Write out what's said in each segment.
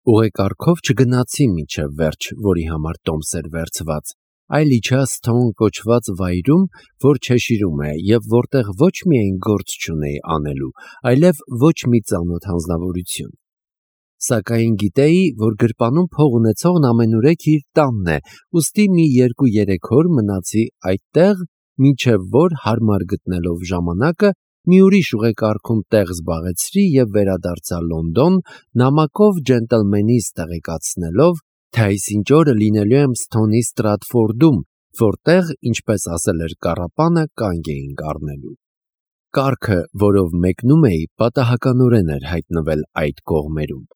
Ուղեկարգով չգնացի մինչև վերջ, որի համար տոմս էր վերցված, այլ իջա Սթոուն կոչված վայրում, որ Չեշիրում է և որտեղ ոչ միայն գործ չունեի անելու, այլև ոչ մի ծանոթ անձնավորություն։ Սակայն գիտեի, որ գրպանում փող ունեցողն ամենուրեք իր տանն է, ուստի մի 2-3 օր մնացի այդտեղ, մինչև որ հարմար գտնելով ժամանակը, մի ուրիշ ուղեկարգում տեղ զբաղեցրի և վերադարձա Լոնդոն, նամակով ջենտլմենիս տեղեկացնելով, թե այսինչ օրը լինելու եմ Սթոունի Ստրատֆորդում, որտեղ, ինչպես ասել էր կառապանը, կանգ էինք առնելու։ Կառքը, որով մեկնում էի, պատահականորեն էր հայտնվել այդ կողմերում։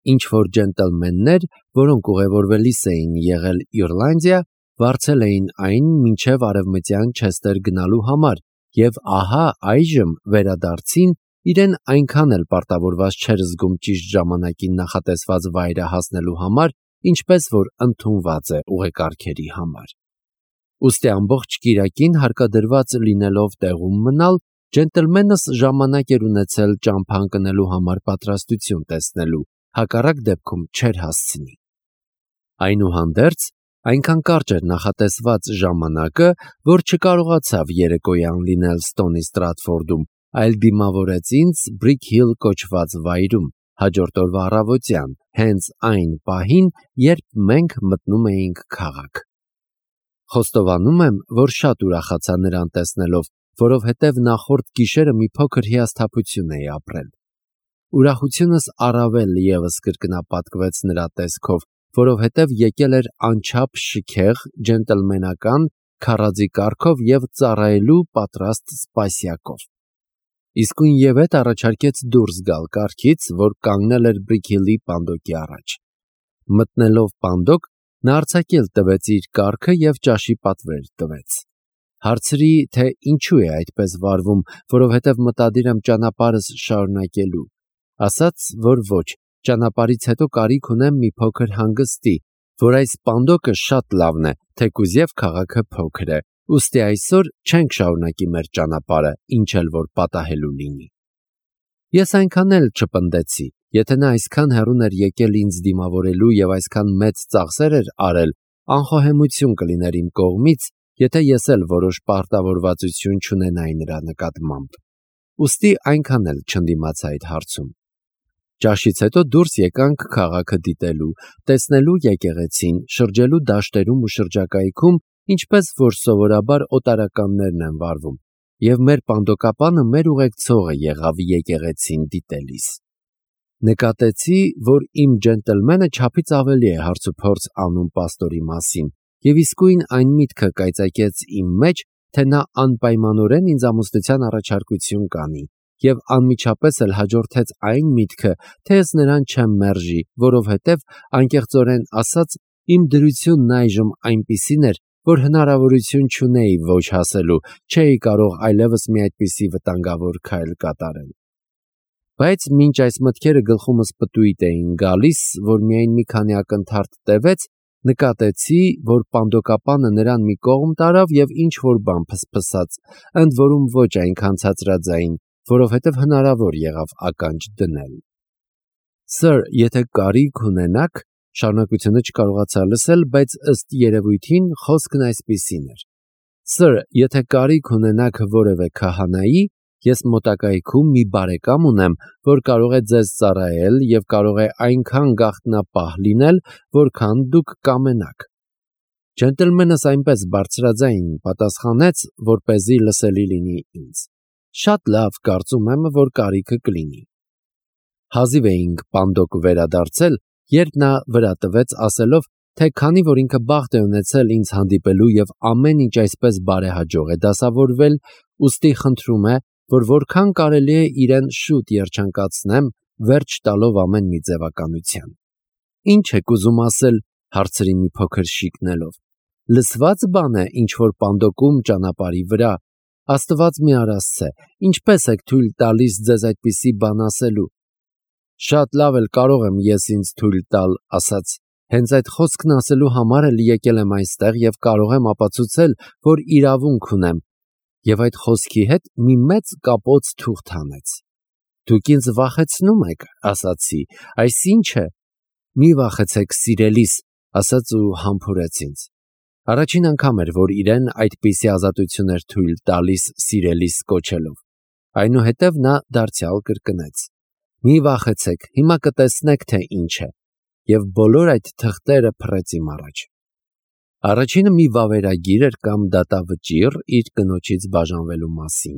Ինչ-որ ջենտլմեններ, որոնք ուղևորվելիս էին եղել Իռլանդիա, վարձել էին այն մինչև արևմտյան Չեսթեր գնալու համար, և ահա այժմ վերադարձին իրեն այնքան էլ պարտավորված չէր զգում ճիշտ ժամանակին նախատեսված վայրը հասնելու համար, ինչպես որ ընդունված է ուղեկարգերի համար։ Ուստի ամբողջ կիրակին հարկադրված լինելով տեղում մնալ, ջենտլմենս ժամանակ էր ունեցել ճամփա ընկնելու համար պատրաստություն տեսնելու, հակառակ դեպքում չէր հասցնի։ Այնուհանդերձ, այնքան կարճ էր նախատեսված ժամանակը, որ չկարողացավ երեկոյան լինել Սթոունի Ստրատֆորդում, այլ դիմավորեց ինձ Բրիք Հիլ կոչված վայրում, հաջորդ օրվա առավոտյան, հենց այն պահին, երբ մենք մտնում էինք քաղաք։ Խոստովանում եմ, որ շատ ուրախացա նրան տեսնելով, որովհետև նախորդ գիշերը մի փոքր հիասթափություն էի ապրել։ Ուրախությունս առավել ևս կրկնապատկվեց նրա տեսքով, որովհետև եկել էր անչափ շքեղ, ջենտլմենական, քառաձի կարգով և ծառայելու պատրաստ սպասյակով։ Իսկույնևեթ առաջարկեց դուրս գալ կառքից, որ կանգնել էր Բրիք Հիլի պանդոկի առաջ։ Մտնելով պանդոկ, նա արձակել տվեց իր կառքը և ճաշի պատվեր տվեց։ Հարցրի, թե ինչու է այդպես վարվում, որովհետև մտադիր եմ ճանապարհս շարունակելու։ Ասաց, որ ոչ, ճանապարհից հետո կարիք ունեմ մի փոքր հանգստի, որ այս պանդոկը շատ լավն է, թեկուզ և քաղաքը փոքր է, ուստի այսօր չենք շարունակի մեր ճանապարհը, ինչ էլ որ պատահելու լինի։ Ես այնքան էլ չպնդեցի, եթե նա այսքան հեռուն էր եկել ինձ դիմավորելու և այսքան մեծ ծախսեր էր արել, անխոհեմություն կլիներ իմ կողմից, եթե ես էլ որոշ պարտավորվածություն չունենայի նրա նկատմամբ։ Ուստի այնքան էլ չընդդիմացա այդ հարցում։ Ճաշից հետո դուրս եկանք քաղաքը դիտելու, տեսնելու եկեղեցին, շրջելու դաշտերում ու շրջակայքում, ինչպես որ սովորաբար օտարականներն են վարվում, և մեր պանդոկապանը մեր ուղեկցողը եղավ եկեղեցին դիտելիս։ Նկատեցի, որ իմ ջենտլմենը չափից ավելի է հարցուփորձ անում պաստորի մասին, և իսկույն այն միտքը կայծակեց իմ մեջ, թե նա անպայմանորեն ինձ ամուսնության առաջարկություն կանի, և անմիջապես էլ հաջորդեց այն միտքը, թե ես նրան չեմ մերժի, որովհետև, անկեղծորեն ասած, իմ դրությունն այժմ այնպիսին էր, որ հնարավորություն չունեի ոչ ասելու, չէի կարող այլևս մի այդպիսի վտանգավոր քայլ կատարել։ Բայց մինչ այս մտքերը գլխումս պտույտ էին գալիս, որ միայն մի քանի ակնթարթ տևեց, նկատեցի, որ պանդոկապանը նրան մի կողմ տարավ և ինչ-որ բան փսփսաց, ընդ որում ոչ այնքան ցածրաձայն, որովհետև հնարավոր եղավ ականջ դնել։ Սըր, եթե կարիք ունենաք, շարունակությունը չկարողացա լսել, բայց ըստ երևույթին խոսքն այսպիսին էր. Սըր, եթե կարիք ունենաք որևէ քահանայի, ես մոտակայքում մի բարեկամ ունեմ, որ կարող է ձեզ ծառայել և կարող է այնքան գաղտնապահ լինել, որքան դուք կամենաք։ Ջենտլմենս այնպես բարձրաձայն պատասխանեց, որպեսզի լսելի լինի ինձ։ Շատ լավ, կարծում եմ, որ կարիքը կլինի։ Հազիվ էինք պանդոկ վերադարձել, երբ նա վրա տվեց ասելով, թե քանի որ ինքը բախտ է ունեցել ինձ հանդիպելու և ամեն ինչ այսպես բարեհաջող է դասավորվել, ուստի խնդրում է, որ որքան կարելի է իրեն շուտ երջանկացնեմ, վերջ տալով ամեն մի ձևականության։ Ինչ եք ուզում ասել, հարցրի մի փոքր շիկնելով։ Լսված բան է, ինչ որ պանդոկում ճանապարհի վրա, Աստված մի արասցե, ինչպես եք թույլ տալիս ձեզ այդպիսի բան ասելու։ Շատ լավ էլ կարող եմ ես ինձ թույլ տալ, ասաց, հենց այդ խոսքն ասելու համար էլ եկել եմ այստեղ և կարող եմ ապացուցել, որ իրավունք ունեմ, և այդ խոսքի հետ մի մեծ կապոց թուղթ հանեց։ Դուք ինձ վախեցնում եք, ասացի, այս ի՞նչ է։ մի վախեցեք սիրելիս, ասաց ու համբուրեց ինձ։ Առաջին անգամ էր, որ իրեն այդպիսի ազատություն էր թույլ տալիս սիրելիս կոչելով։ Այնուհետև նա դարձյալ կրկնեց. մի վախեցեք, հիմա կտեսնեք, թե ինչ է, և բոլոր այդ թղթերը փռեց իմ առաջ։ Առաջինը մի վավերագիր էր կամ դատավճիռ իր կնոջից բաժանվելու մասին,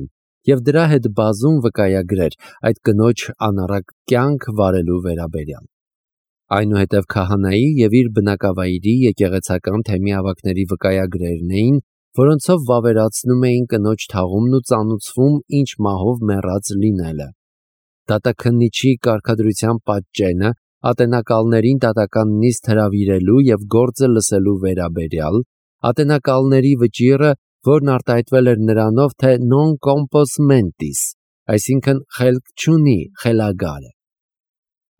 և դրա հետ բազում վկայագրեր այդ կնոջ անառակ կյանք վարելու վերաբերյալ։ Այնուհետև քահանայի և իր բնակավայրի եկեղեցական թեմի ավագների վկայագրերն էին, որոնցով վավերացնում էին կնոջ թաղումն ու ծանուցվում ինչ մահով մեռած լինելը։ Դատաքննիչի կարգադրության պատճենը ատենակալներին դատական նիստ հրավիրելու և գործը լսելու վերաբերյալ, ատենակալների վճիռը, որն արտահայտվել էր նրանով, թե non compos mentis, այսինքն խելք չունի, խելագար է։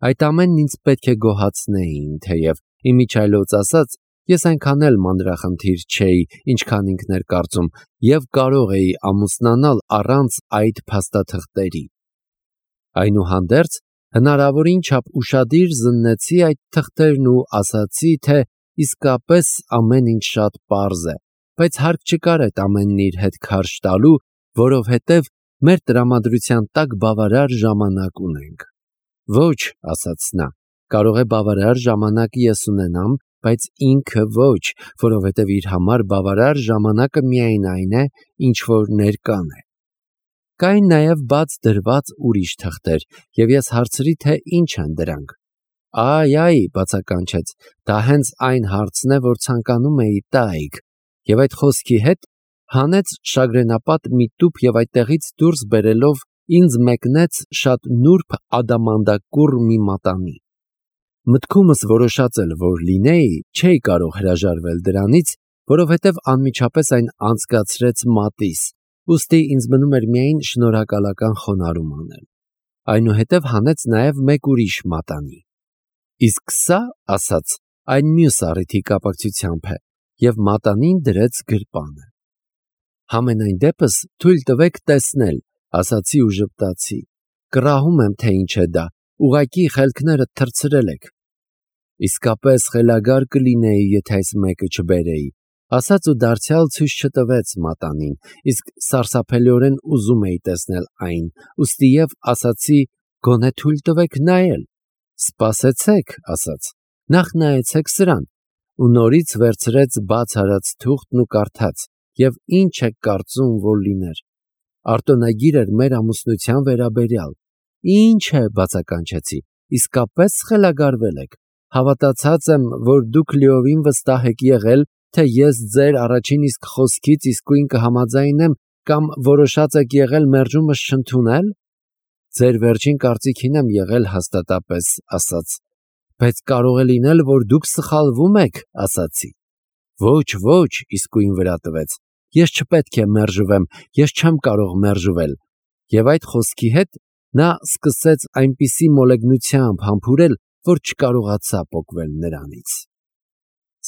Այդ ամենն ինձ պետք է գոհացնեին, թեև իմիջիայլոց ասած, ես այնքան էլ մանրախնդիր չէի, ինչքան ինքն էր կարծում, և կարող էի ամուսնանալ առանց այդ փաստաթղթերի։ Այնուհանդերձ, հնարավորին չափ ուշադիր զննեցի այդ թղթերն ու ասացի, թե իսկապես ամեն ինչ շատ պարզ է, բայց հարկ չկար այդ ամենն իր հետ քարշ տալու, որովհետև մեր տրամադրության տակ բավարար ժամանակ ունենք։ Ոչ, ասաց նա, կարող է բավարար ժամանակ ես ունենամ, բայց ինքը ոչ, որովհետև իր համար բավարար ժամանակը միայն այն է, ինչ որ ներկան է։ Կային նաև բաց դրված ուրիշ թղթեր, և ես հարցրի, թե ինչ են դրանք։ Այ, բացականչեց, դա հենց այն հարցն է, որ ցանկանում էի տայիք, և այդ խոսքի հետ հանեց շագրենապատ մի տուփ և այդտեղից դուրս բերելով ինձ մեկնեց շատ նուրբ ադամանդակուռ մի մատանի։ Մտքումս որոշած էլ որ լինեի, չէի կարող հրաժարվել դրանից, որովհետև անմիջապես այն անցկացրեց մատիս, ուստի ինձ մնում էր միայն շնորհակալական խոնարհում անել։ Այնուհետև հանեց նաև մեկ ուրիշ մատանի։ Իսկ սա, ասաց, այն մյուս առիթի կապակցությամբ է, և մատանին դրեց գրպանը։ Համենայն դեպս թույլ տվեք տեսնել, ասացի ու ժպտացի։ Կռահում եմ, թե ինչ է դա, ուղղակի խելքներդ թռցրել եք։ Իսկապես խելագար կլինեի, եթե այս մեկը չբերեի, ասաց ու դարձյալ ցույց չտվեց մատանին, իսկ սարսափելիորեն ուզում էի տեսնել այն, ուստի և ասացի, գոնե թույլ տվեք նայել։ Սպասեցեք, ասաց, նախ նայեցեք սրան, ու նորից վերցրեց բաց արած թուղթն ու կարդաց, և ինչ եք կարծում, որ լիներ։ Արտոնագիր էր մեր ամուսնության վերաբերյալ։ Ինչ է, բացականչեցի, իսկապես խելագարվել եք։ Հավատացած եմ, որ դուք լիովին վստահ եք եղել, թե ես ձեր առաջին իսկ խոսքից իսկույն կհամաձայնեմ կամ որոշած եք եղել մերժումս չընդունել։ Ձեր վերջին կարծիքին եմ եղել հաստատապես, ասաց, բայց կարող է լինել, որ դուք սխալվում եք, ասացի։ Ոչ, իսկույն վրա տվեց։ Ես չպետք է մերժվեմ, ես չեմ կարող մերժվել։ Եվ այդ խոսքի հետ նա սկսեց այնպիսի մոլեգնությամբ համբուրել, որ չկարողացա պոկվել նրանից։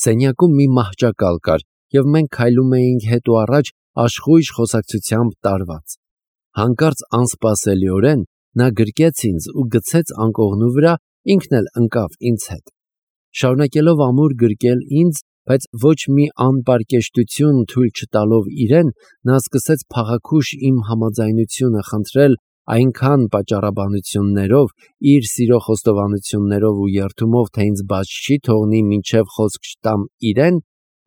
Սենյակում մի մահճակալ կար, և մենք քայլում էինք հետ ու առաջ աշխույժ խոսակցությամբ տարված։ Հանկարծ անսպասելիորեն նա գրկեց ինձ ու գցեց անկողնու վրա, ինքն էլ ընկավ ինձ հետ։ Շարունակելով ամուր գրկել ինձ, բայց ոչ մի անպարկեշտություն թույլ չտալով իրեն, նա սկսեց փաղաքուշ իմ համաձայնությունը խնդրել այնքան պատճառաբանություններով, իր սիրո խոստովանություններով ու երդումով, թե ինձ բաց չի թողնի մինչև խոսք չտամ իրեն,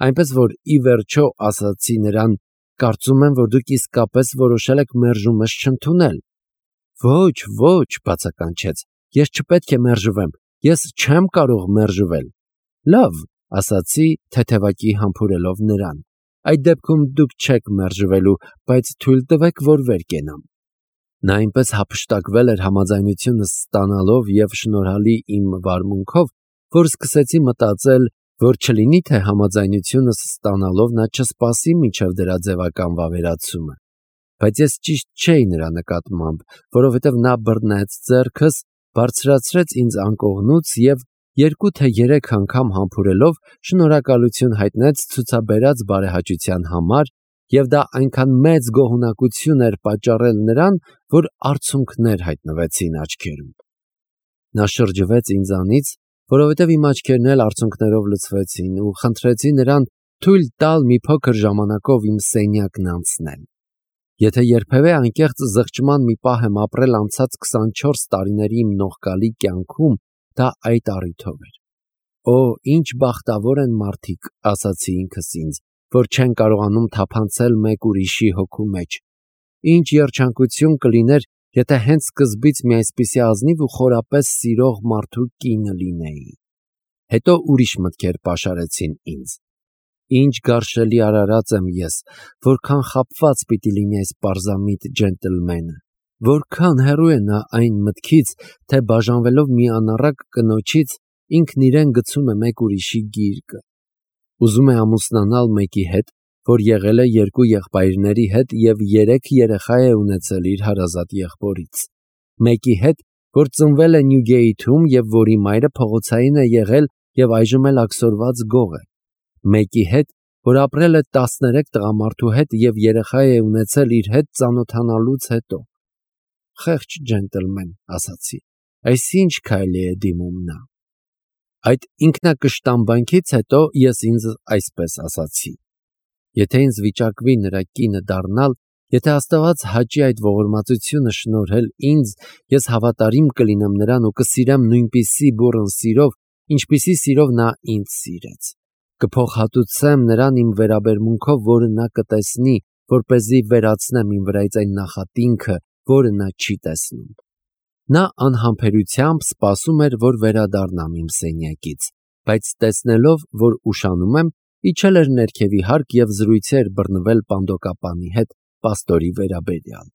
այնպես որ ի վերջո ասացի նրան. կարծում եմ, որ դուք իսկապես որոշել եք մերժումս չընդունել։ Ոչ, բացականչեց, ես չպետք է մերժվեմ, ես չեմ կարող մերժվել։ Լավ, ասացի, թեթևակի համբուրելով նրան։ Այդ դեպքում դուք չեք մերժվելու, բայց թույլ տվեք, որ վեր կենամ։ Նա այնպես հափշտակվել էր համաձայնությունս ստանալով և շնորհալի իմ վարմունքով, որ սկսեցի մտածել, որ չլինի թե համաձայնությունս ստանալով նա չսպասի մինչև դրա ձևական վավերացումը։ Բայց ես ճիշտ չէի նրա նկատմամբ, որովհետև նա բռնեց ձեռքս, բարձրացրեց ինձ անկողնուց և 2 թե 3 անգամ համբուրելով շնորհակալություն հայտնեց ցուցաբերած բարեհաճության համար, և դա այնքան մեծ գոհունակություն էր պատճառել նրան, որ արցունքներ հայտնվեցին աչքերում։ Նա շրջվեց ինձանից, որովհետև իմ աչքերն էլ արցունքներով լցվեցին ու խնդրեցի նրան թույլ տալ մի փոքր ժամանակով իմ սենյակն անցնել։ Եթե երբևէ անկեղծ զղջման մի պահ եմ ապրել անցած 24 տարիների իմ նողկալի կյանքում, դա այդ առիթով էր։ Օ, ինչ բախտավոր են մարդիկ, ասացի ինքս ինձ, որ չեն կարողանում թափանցել մեկ ուրիշի հոգու մեջ։ Ինչ երջանկություն կլիներ, եթե հենց սկզբից մի այսպիսի ազնիվ ու խորապես սիրող մարդու կինը լինեի։ Հետո ուրիշ մտքեր պաշարեցին ինձ։ Ինչ գարշելի արարած եմ ես, որքան խաբված պիտի լինի այս պարզամիտ ջենտլմենը, որքան հեռու է նա այն մտքից, թե բաժանվելով մի անառակ կնոջից ինքն իրեն գցում է մեկ ուրիշի գիրկը։ Ուզում է ամուսնանալ մեկի հետ, որ եղել է 2 եղբայրների հետ և 3 երեխա է ունեցել իր հարազատ եղբորից։ Մեկի հետ, որ ծնվել է Նյուգեիթում և որի մայրը փողոցային է եղել և այժմ էլ աքսորված գող է։ Մեկի հետ, որ ապրել է 13 տղամարդու հետ և երեխա է ունեցել իր հետ ծանոթանալուց հետո։ Խեղճ ջենտլմեն, ասացի, այսինչ քայլի է դիմում նա։ Այդ ինքնակշտամբանքից հետո ես ինձ այսպես ասացի. եթե ինձ վիճակվի նրա կինը դառնալ, եթե Աստված հաճի այդ ողորմածությունը շնորհել ինձ, ես հավատարիմ կլինեմ նրան ու կսիրեմ նույնպիսի բուռն սիրով, ինչպիսի սիրով նա ինձ սիրեց։ Կփոխհատուցեմ նրան իմ վերաբերմունքով, որը նա կտեսնի, որպեսզի վերացնեմ իմ վրայից այն նախատինքը, որը նա չի տեսնում։ Նա անհամբերությամբ սպասում էր, որ վերադառնամ իմ սենյակից, բայց տեսնելով, որ ուշանում եմ, իջել էր ներքևի հարկ և զրույցի էր բռնվել պանդոկապանի հետ պաստորի վերաբերյալ։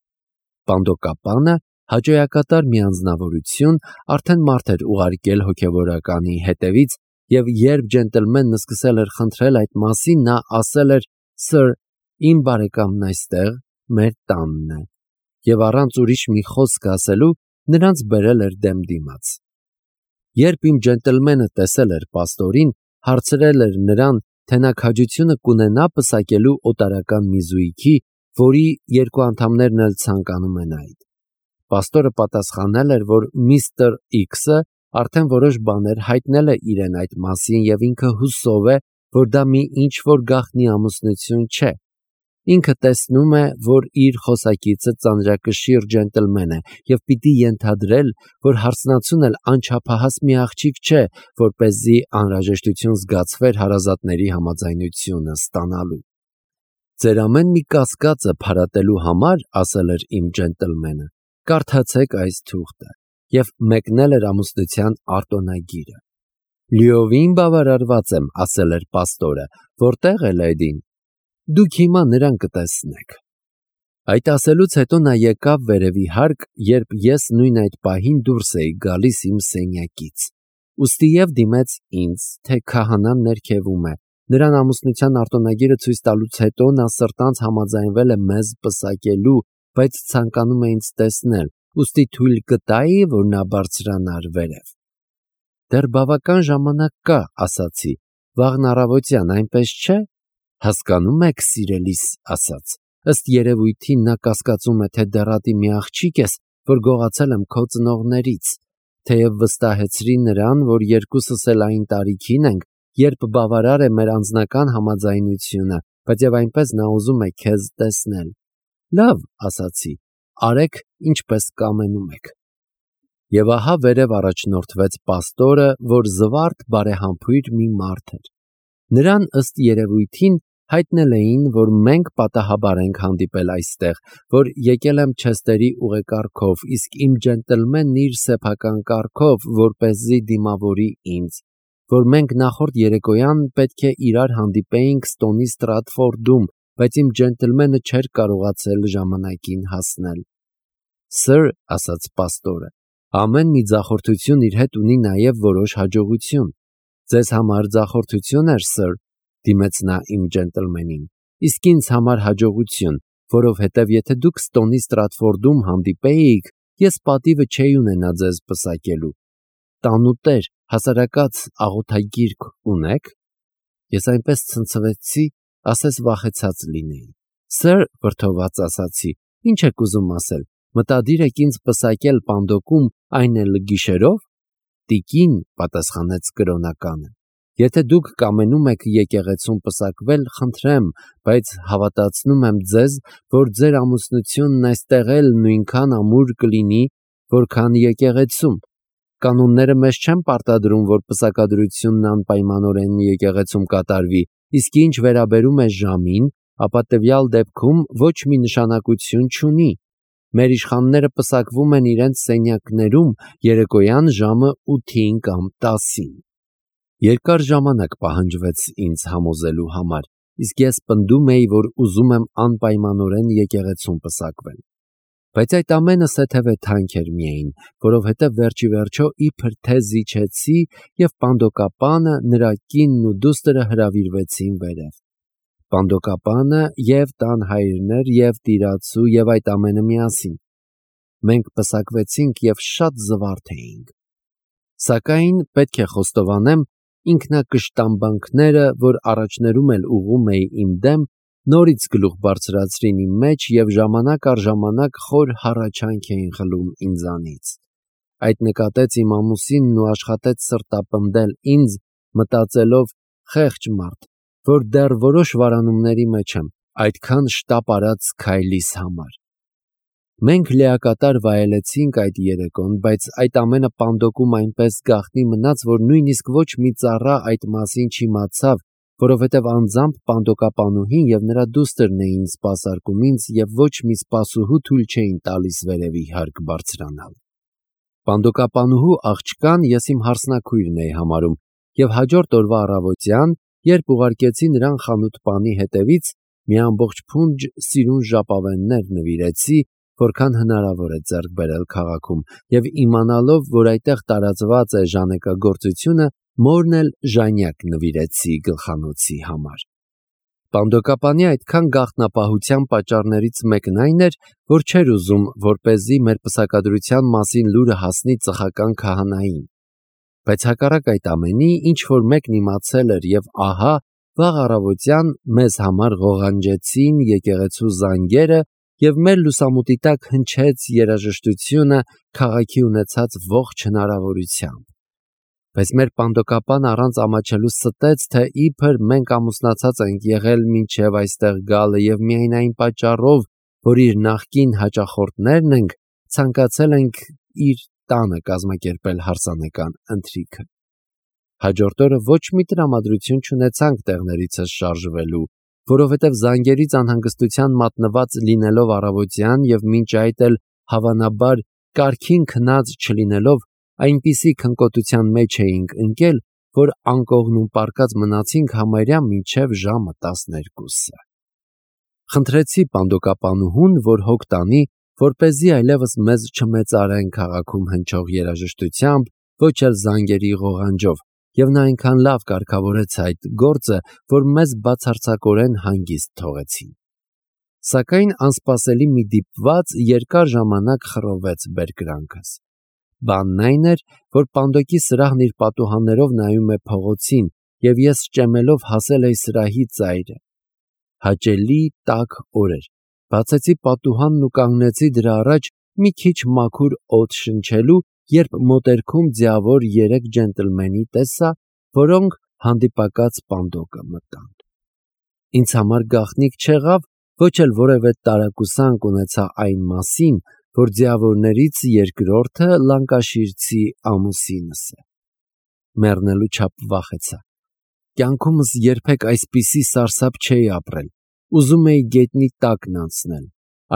Պանդոկապանը, հաճոյակատար մի անձնավորություն, արդեն մարդ էր ուղարկել հոգևորականի հետևից, և երբ ջենտլմենն սկսել էր խնդրել այդ մասին, նա ասել էր. «Սըր, իմ բարեկամն այստեղ, մեր տանն է», և առանց ուրիշ մի խոսք ասելու, նրանց բերել էր դեմ դիմաց։ Երբ իմ ջենտլմենը տեսել էր պաստորին, հարցրել էր նրան, թե նա քաջությունը կունենա պսակելու օտարական մի զույգի, որի 2 անդամներն էլ ցանկանում են այդ։ Պաստորը պատասխանել էր, որ միստր X-ը արդեն որոշ բաներ հայտնել է իրեն այդ մասին և ինքը հուսով է, որ դա մի ինչ-որ գաղտնի ամուսնություն չէ։ Ինքը տեսնում է, որ իր խոսակիցը ծանրակշիռ ջենտլմեն է և պիտի ենթադրել, որ հարսնացուն էլ անչափահաս մի աղջիկ չէ, որպեսզի անհրաժեշտություն զգացվեր հարազատների համաձայնությունը ստանալու։ «Ձեր ամեն մի կասկածը փարատելու համար, ասել էր իմ ջենտլմենը, կարդացեք այս թուղթը», և մեկնել էր ամուսնության արտոնագիրը։ «Լիովին բավարարված եմ», ասել էր պաստորը, «որտե՞ղ է լեդին։ Դուք հիմա նրան կտեսնեք»։ Այդ ասելուց հետո նա եկավ վերևի հարկ, երբ ես նույն այդ պահին դուրս էի գալիս իմ սենյակից։ Ուստի և դիմեց ինձ, թե քահանան ներքևում է։ Նրան ամուսնության արտոնագիրը ցույց տալուց հետո նա սրտանց համաձայնվել է մեզ պսակելու, բայց ցանկանում է ինձ տեսնել, ուստի թույլ կտայի, որ նա բարձրանար վերև։ Դեռ բավական ժամանակ կա, ասացի, վաղն առավոտյան, այնպես չէ։ Հասկանում եք, սիրելիս, ասաց, ըստ երևույթին նա կասկածում է, թե դեռատի մի աղջիկ ես, որ գողացել եմ քո ծնողներից, թեև վստահեցրի նրան, որ երկուսս էլ այն տարիքին ենք, երբ բավարար է մեր անձնական համաձայնությունը, բայց և այնպես նա ուզում է քեզ տեսնել։ Լավ, ասացի, արեք, ինչպես կամենում եք։ Եվ ահա վերև առաջնորդվեց պաստորը, որ զվարթ բարեհամբույր մի մարդ էր։ Նրան ըստ երևույթին հայտնել էին, որ մենք պատահաբար ենք հանդիպել այստեղ, որ եկել եմ Չեսթերի ուղեկարգով, իսկ իմ ջենտլմենն իր սեփական կարգով, որպեսզի դիմավորի ինձ, որ մենք նախորդ երեկոյան պետք է իրար հանդիպեինք Ստոնի Ստրատֆորդում, բայց իմ ջենտլմենը չէր կարողացել ժամանակին հասնել։ Սըր, ասաց պաստորը, ամեն մի ձախորդություն իր հետ ունի նաև որոշ հաջողություն։ Ձեզ համար ձախորդություն էր, սըր, դիմեց նա իմ ջենտլմենին, իսկ ինձ համար հաջողություն, որովհետև եթե դուք Ստոնի Ստրատֆորդում հանդիպեիք, ես պատիվը չէի ունենա ձեզ պսակելու։ Տանուտեր, հասարակած աղոթագիրք ունեք։ Ես այնպես ցնցվեցի, ասես վախեցած լինեի։ Սըր, վրդոված ասացի, ինչ եք ուզում ասել, մտադիր եք ինձ պսակել պանդոկում, այն էլ գիշերով։ տիկին, պատասխանեց կրոնականը, եթե դուք կամենում եք եկեղեցում պսակվել, խնդրեմ, բայց հավատացնում եմ ձեզ, որ ձեր ամուսնությունն այստեղ էլ նույնքան ամուր կլինի, որքան եկեղեցում։ Կանոնները մեզ չեն պարտադրում, որ պսակադրությունն անպայմանորեն եկեղեցում կատարվի, իսկ ինչ վերաբերում է ժամին, ապա տվյալ դեպքում ոչ մի նշանակություն չունի։ Մեր իշխանները պսակվում են իրենց սենյակներում երեկոյան ժամը 8-ին կամ 10-ին։ Երկար ժամանակ պահանջվեց ինձ համոզելու համար, իսկ ես պնդում էի, որ ուզում եմ անպայմանորեն եկեղեցում պսակվել։ Բայց այդ ամենը սեթևե թանկ էր միայն, որովհետև վերջի վերջո իբր թե զիջեցի և պանդոկապանը, նրա կինն ու դուստրը հրավիրվեցին վերև։ Պանդոկապանը և տան հայրներ և տիրացու և այդ ամենը միասին։ Մենք պսակվեցինք և շատ զվարթ էինք։ Սակայն պետք է խոստովանեմ, ինքնակշտամբանքները, որ առաջներում էլ ուղղում էի իմ դեմ, նորից գլուխ բարձրացրին իմ մեջ և ժամանակ առ ժամանակ խոր հառաչանք էին խլում ինձանից։ Այդ նկատեց իմ ամուսինն ու աշխատեց սրտապնդել ինձ, մտածելով խեղճ մարդ, որ դեռ որոշ վարանումների մեջ եմ, այդքան շտապ արած քայլիս համար։ Մենք լիակատար վայելեցինք այդ երեկոն, բայց այդ ամենը պանդոկում այնպես գաղտնի մնաց, որ նույնիսկ ոչ մի ծառա այդ մասին չիմացավ, որովհետև անձամբ պանդոկապանուհին և նրա դուստրն էին սպասարկում ինձ և ոչ մի սպասուհու թույլ չէին տալիս վերևի հարկ բարձրանալ։ Պանդոկապանուհու աղջկան ես իմ հարսնաքույրն էի համարում և հաջորդ օրվա առավոտյան, երբ ուղարկեցի նրան խանութպանի հետևից, մի ամբողջ փունջ սիրուն ժապավեններ նվիրեցի, որքան հնարավոր է ձեռք բերել քաղաքում, և իմանալով, որ այդտեղ տարածված է ժանեկագործությունը, մորն էլ ժանյակ նվիրեցի գլխանոցի համար։ Պանդոկապանի այդքան գաղտնապահության պատճառներից մեկն այն էր, որ չէր ուզում, որպեսզի մեր պսակադրության մասին լուրը հասնի ծխական քահանային։ Բայց հակառակ այդ ամենի, ինչ-որ մեկն իմացել էր և ահա, վաղ առավոտյան մեզ համար ղողանջեցին եկեղեցու զանգերը և մեր լուսամուտի տակ հնչեց երաժշտությունը քաղաքի ունեցած ողջ հնարավորությամբ։ Բայց մեր պանդոկապանը առանց ամաչելու ստեց, թե իբր մենք ամուսնացած ենք եղել մինչև այստեղ գալը և միայն այն պատճառով, որ իր նախկին հաճախորդներն ենք, ցանկացել ենք իր տանը կազմակերպել հարսանեկան ընթրիքը։ Հաջորդ օրը ոչ մի տրամադրություն չունեցանք տեղներիցս շարժվելու, որովհետև զանգերից անհանգստության մատնված լինելով առավոտյան և մինչ այդ էլ հավանաբար կարգին քնած չլինելով, այնպիսի քնկոտության մեջ էինք ընկել, որ անկողնում պառկած մնացինք համարյա մինչև ժամը 12-ը։ Խնդրեցի պանդոկապանուհուն, որ հոգ տանի, որպեսզի այլևս մեզ չմեծարեն քաղաքում հնչող երաժշտությամբ, ոչ էլ զանգերի ղողանջով, և նա այնքան լավ կարգավորեց այդ գործը, որ մեզ բացարձակորեն հանգիստ թողեցին։ Սակայն անսպասելի մի դիպված երկար ժամանակ խռովեց բերկրանքս։ Բանն այն էր, որ պանդոկի սրահն իր պատուհաններով նայում է փողոցին, և ես ճեմելով հասել էի սրահի ծայրը։ Հաճելի տաք օր էր։ Բացեցի պատուհանն ու կանգնեցի դրա առաջ մի քիչ մաքուր օդ շնչելու, երբ մոտերքում ձիավոր 3 ջենտլմենի տեսա, որոնք հանդիպակաց պանդոկը մտան։ Ինձ համար գաղտնիք չեղավ, ոչ էլ որևէ տարակուսանք ունեցա այն մասին, որ ձիավորներից երկրորդը լանկաշիրցի ամուսինս է։ Մեռնելու չափ վախեցա։ Կյանքումս երբեք այսպիսի սարսափ չէի ապրել։ Ուզում էի գետնի տակն անցնել։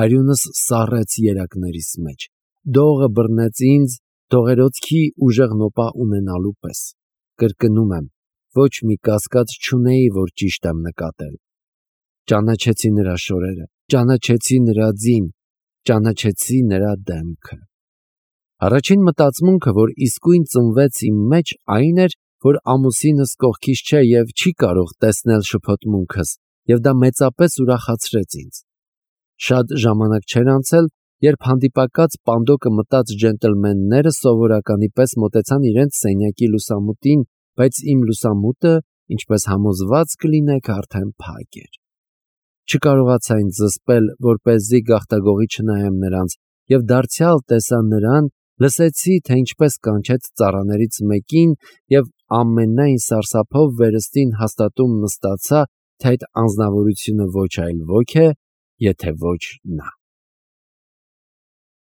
Արյունս սառեց երակներիս մեջ։ Դողը բռնեց ինձ դողերոցքի ուժեղ նոպա ունենալու պես։ Կրկնում եմ, ոչ մի կասկած չունեի, որ ճիշտ եմ նկատել։ Ճանաչեցի նրա շորերը, ճանաչեցի նրա ձին, ճանաչեցի նրա դեմքը։ Առաջին մտածմունքը, որ իսկույն ծնվեց իմ մեջ, այն էր, որ ամուսինս կողքիս չէ և չի կարող տեսնել շփոթմունքս, և դա մեծապես ուրախացրեց ինձ։ Շատ ժամանակ չէր անցել, երբ հանդիպակաց պանդոկը մտած ջենտլմենները սովորականի պես մոտեցան իրենց սենյակի լուսամուտին, բայց իմ լուսամուտը, ինչպես համոզված կլինեք, արդեն փակ էր։ Չկարողացա ինձ զսպել, որպեսզի գաղտագողի չնայեմ նրանց, և դարձյալ տեսա նրան, Լսեցի, թե ինչպես կանչեց ծառաներից մեկին և ամենայն սարսափով վերստին հաստատում նստացա, թե այդ անձնավորությունը ոչ այլ ոք է, եթե ոչ նա։